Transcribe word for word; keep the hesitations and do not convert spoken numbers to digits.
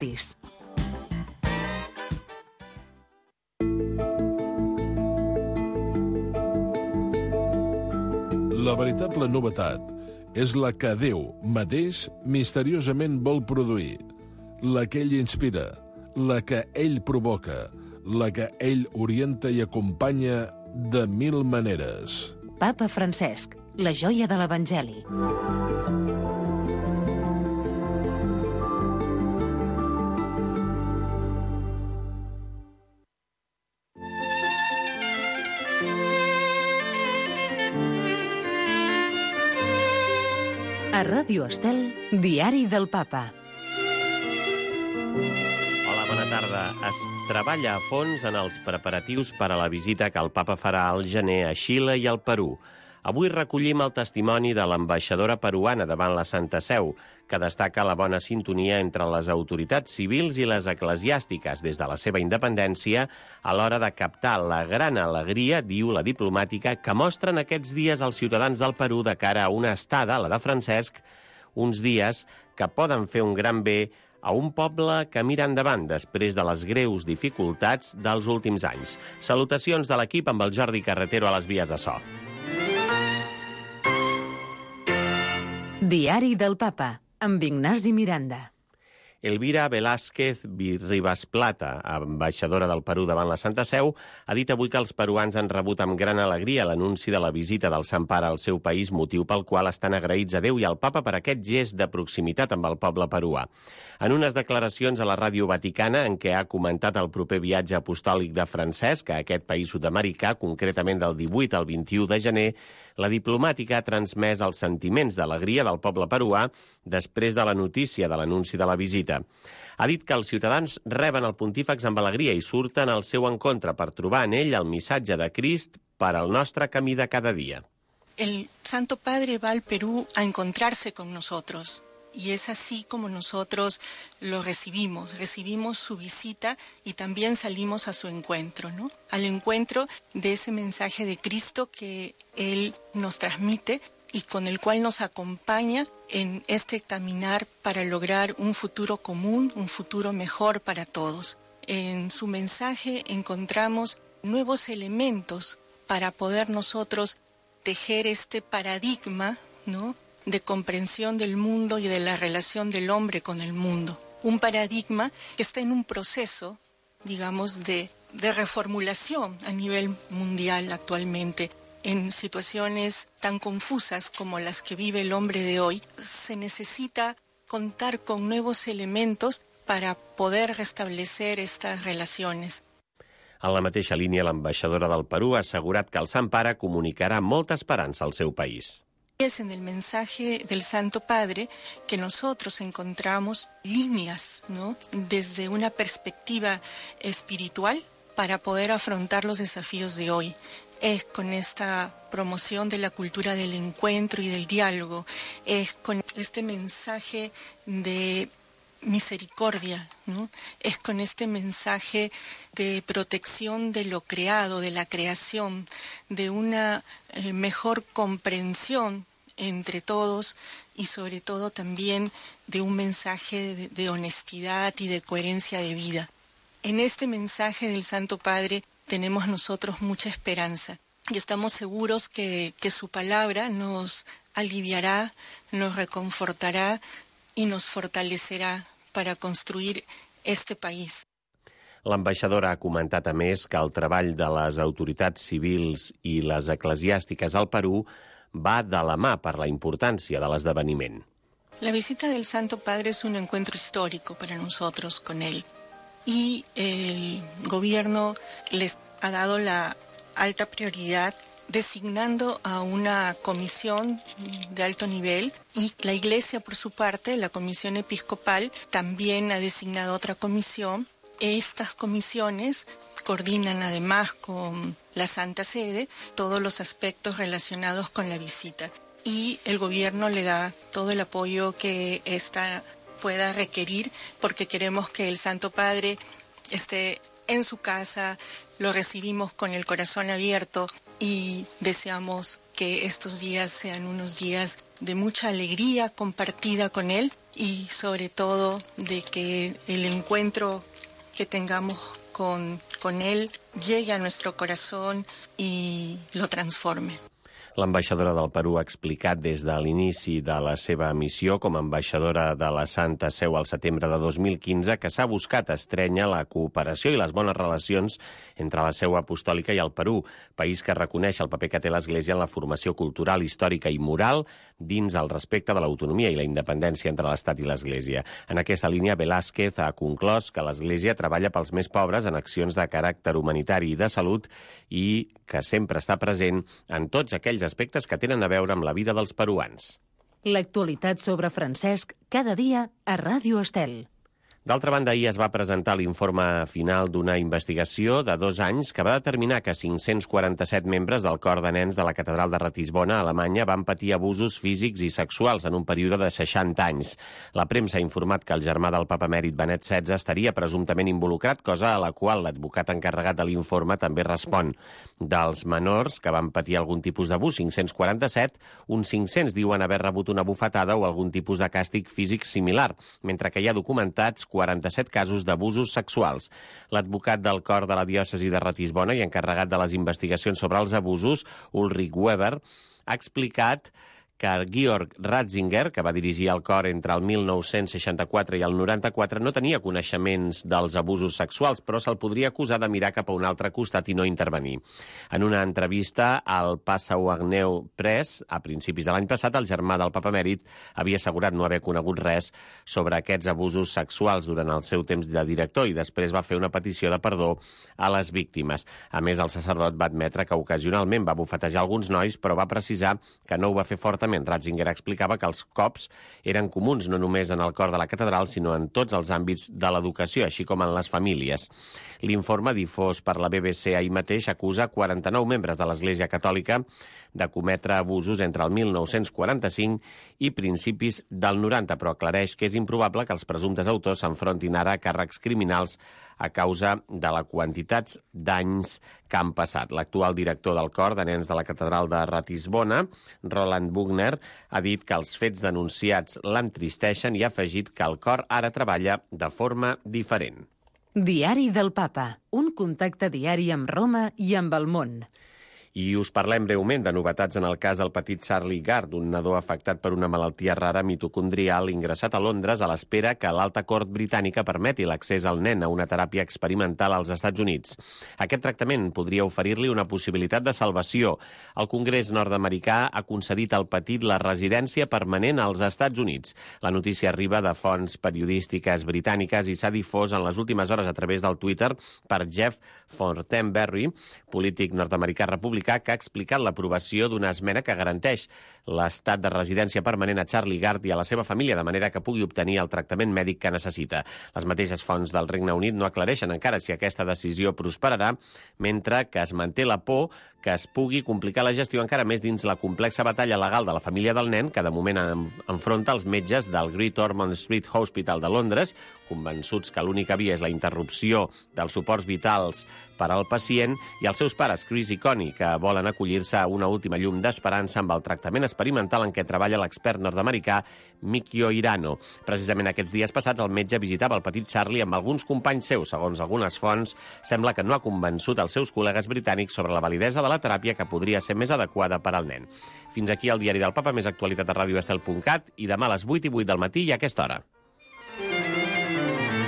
La veritable novetat és la que Déu mateix misteriosament vol produir, la que ell inspira, la que ell provoca, la que ell orienta i acompanya de mil maneres. Papa Francesc, la joia de l'Evangeli. A Ràdio Estel, Diari del Papa. Hola, bona tarda. Es treballa a fons en els preparatius per a la visita que el Papa farà al gener a Xile i al Perú. Avui recollim el testimoni de l'ambaixadora peruana davant la Santa Seu, que destaca la bona sintonia entre les autoritats civils i les eclesiàstiques des de la seva independència a l'hora de captar la gran alegria, diu la diplomàtica, que mostren aquests dies els ciutadans del Perú de cara a una estada, la de Francesc, uns dies que poden fer un gran bé a un poble que mira endavant després de les greus dificultats dels últims anys. Salutacions de l'equip amb el Jordi Carretero a les vies de so. Diari del Papa, amb Ignasi Miranda. Elvira Velázquez Ribas Plata, ambaixadora del Perú davant la Santa Seu, ha dit avui que els peruans han rebut amb gran alegria l'anunci de la visita del Sant Pare al seu país, motiu pel qual estan agraïts a Déu i al Papa per aquest gest de proximitat amb el poble peruà. En unes declaracions a la Ràdio Vaticana, en què ha comentat el proper viatge apostòlic de Francesc a aquest país sud-americà, concretament del divuit al vint-i-u de gener, la diplomàtica ha transmès els sentiments d'alegria del poble peruà després de la notícia de l'anunci de la visita. Ha dit que els ciutadans reben el pontífex amb alegria i surten al seu encontre per trobar en ell el missatge de Crist per al nostre camí de cada dia. El Santo Padre va al Perú a encontrarse con nosotros. Y es así como nosotros lo recibimos, recibimos su visita y también salimos a su encuentro, ¿no? Al encuentro de ese mensaje de Cristo que Él nos transmite y con el cual nos acompaña en este caminar para lograr un futuro común, un futuro mejor para todos. En su mensaje encontramos nuevos elementos para poder nosotros tejer este paradigma, ¿no?, de comprensión del mundo y de la relación del hombre con el mundo. Un paradigma que está en un proceso, digamos, de, de reformulación a nivel mundial actualmente. En situaciones tan confusas como las que vive el hombre de hoy, se necesita contar con nuevos elementos para poder restablecer estas relaciones. En la mateixa línia, l'ambaixadora del Perú ha assegurat que el Sant Pare comunicarà molta esperança al seu país. Es en el mensaje del Santo Padre que nosotros encontramos líneas, ¿no?, desde una perspectiva espiritual para poder afrontar los desafíos de hoy. Es con esta promoción de la cultura del encuentro y del diálogo, es con este mensaje de misericordia, ¿no?, es con este mensaje de protección de lo creado, de la creación, de una eh, mejor comprensión entre todos y sobre todo también de un mensaje de, de honestidad y de coherencia de vida. En este mensaje del Santo Padre tenemos nosotros mucha esperanza y estamos seguros que, que su palabra nos aliviará, nos reconfortará y nos fortalecerá para construir este país. L'ambaixadora ha comentat a més que el treball de les autoritats civils i les eclesiàstiques al Perú va de la mà per la importància de l'esdeveniment. La visita del Santo Padre es un encuentro histórico para nosotros con él y el gobierno les ha dado la alta prioridad designando a una comisión de alto nivel y la Iglesia, por su parte, la Comisión Episcopal, también ha designado otra comisión. Estas comisiones coordinan además con la Santa Sede todos los aspectos relacionados con la visita y el gobierno le da todo el apoyo que ésta pueda requerir porque queremos que el Santo Padre esté en su casa, lo recibimos con el corazón abierto y deseamos que estos días sean unos días de mucha alegría compartida con él y sobre todo de que el encuentro que tengamos con, con él llegue a nuestro corazón y lo transforme. L'ambaixadora del Perú ha explicat des de l'inici de la seva missió com a ambaixadora de la Santa Seu al setembre de dos mil quinze que s'ha buscat estrènyer la cooperació i les bones relacions entre la Seu Apostòlica i el Perú, país que reconeix el paper que té l'Església en la formació cultural, històrica i moral dins el respecte de l'autonomia i la independència entre l'Estat i l'Església. En aquesta línia, Velázquez ha conclòs que l'Església treballa pels més pobres en accions de caràcter humanitari i de salut i que sempre està present en tots aquells aspectes que tenen a veure amb la vida dels peruans. L'actualitat sobre Francesc cada dia a Ràdio Estel. D'altra banda, ahir es va presentar l'informe final d'una investigació de dos anys que va determinar que cinc-cents quaranta-set membres del cor de nens de la catedral de Ratisbona, a Alemanya, van patir abusos físics i sexuals en un període de seixanta anys. La premsa ha informat que el germà del papa emèrit Benet setze estaria presumptament involucrat, cosa a la qual l'advocat encarregat de l'informe també respon. Dels menors que van patir algun tipus d'abús, cinc-cents quaranta-set, uns cinc-cents diuen haver rebut una bufetada o algun tipus de càstig físic similar, mentre que hi ha documentats quaranta-set casos d'abusos sexuals. L'advocat del cor de la diòcesi de Ratisbona i encarregat de les investigacions sobre els abusos, Ulrich Weber, ha explicat que Georg Ratzinger, que va dirigir el cor entre el mil nou-cents seixanta-quatre i el noranta-quatre, no tenia coneixements dels abusos sexuals, però se'l podria acusar de mirar cap a un altre costat i no intervenir. En una entrevista al Passau Agneu Press, a principis de l'any passat, el germà del papa emèrit havia assegurat no haver conegut res sobre aquests abusos sexuals durant el seu temps de director i després va fer una petició de perdó a les víctimes. A més, el sacerdot va admetre que ocasionalment va bufetejar alguns nois, però va precisar que no ho va fer fortament. Ratzinger explicava que els cops eren comuns no només en el cor de la catedral, sinó en tots els àmbits de l'educació, així com en les famílies. L'informe difós per la B B C ahir mateix acusa quaranta-nou membres de l'Església Catòlica de cometre abusos entre el mil nou-cents quaranta-cinc i principis del noranta, però aclareix que és improbable que els presumptes autors s'enfrontin ara a càrrecs criminals a causa de la quantitat d'anys que han passat. L'actual director del cor de nens de la catedral de Ratisbona, Roland Buchner, ha dit que els fets denunciats l'entristeixen i ha afegit que el cor ara treballa de forma diferent. Diari del Papa, un contacte diari amb Roma i amb el món. I us parlem breument de novetats en el cas del petit Charlie Gard, un nadó afectat per una malaltia rara mitocondrial ingressat a Londres a l'espera que l'alta cort britànica permeti l'accés al nen a una teràpia experimental als Estats Units. Aquest tractament podria oferir-li una possibilitat de salvació. El Congrés nord-americà ha concedit al petit la residència permanent als Estats Units. La notícia arriba de fonts periodístiques britàniques i s'ha difós en les últimes hores a través del Twitter per Jeff Fortenberry, polític nord-americà republicà, que ha explicat l'aprovació d'una esmena que garanteix l'estat de residència permanent a Charlie Gard i a la seva família, de manera que pugui obtenir el tractament mèdic que necessita. Les mateixes fonts del Regne Unit no aclareixen encara si aquesta decisió prosperarà, mentre que es manté la por que es pugui complicar la gestió encara més dins la complexa batalla legal de la família del nen, que de moment enfronta els metges del Great Ormond Street Hospital de Londres, convençuts que l'única via és la interrupció dels suports vitals per al pacient, i els seus pares, Chris i Connie, que volen acollir-se a una última llum d'esperança amb el tractament experimental en què treballa l'expert nord-americà Mikio Hirano. Precisament aquests dies passats el metge visitava el petit Charlie amb alguns companys seus. Segons algunes fonts, sembla que no ha convençut els seus col·legues britànics sobre la validesa de la teràpia que podria ser més adequada per al nen. Fins aquí el Diari del Papa, més actualitat a radio estel punt cat i demà a les vuit i vuit del matí i a aquesta hora.